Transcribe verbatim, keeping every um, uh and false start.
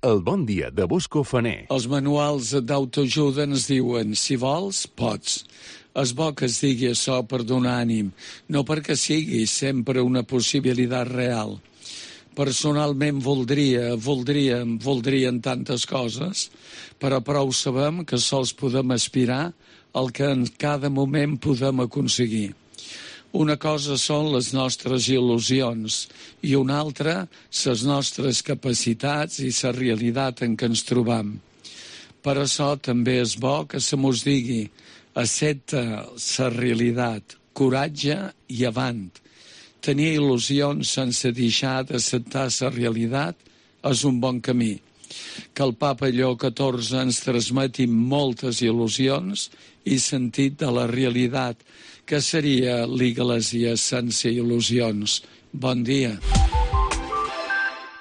El bon dia de Bosco Faner. Els manuals d'autoajuda ens diuen, si vols, pots. És bo que es digui això per donar ànim, no perquè sigui sempre una possibilitat real. Personalment voldria, voldríem, voldrien tantes coses, però prou sabem que sols podem aspirar al que en cada moment podem aconseguir. Una cosa són les nostres il·lusions i una altra, les nostres capacitats i la realitat en què ens trobam. Per això també és bo que se mos digui accepta la realitat, coratge i avant. Tenir il·lusions sense deixar d'acceptar la realitat és un bon camí. Que el papa Lleó catorze ens transmeti moltes il·lusions i sentit de la realitat, que seria l'Iglésia sense il·lusions. Bon dia.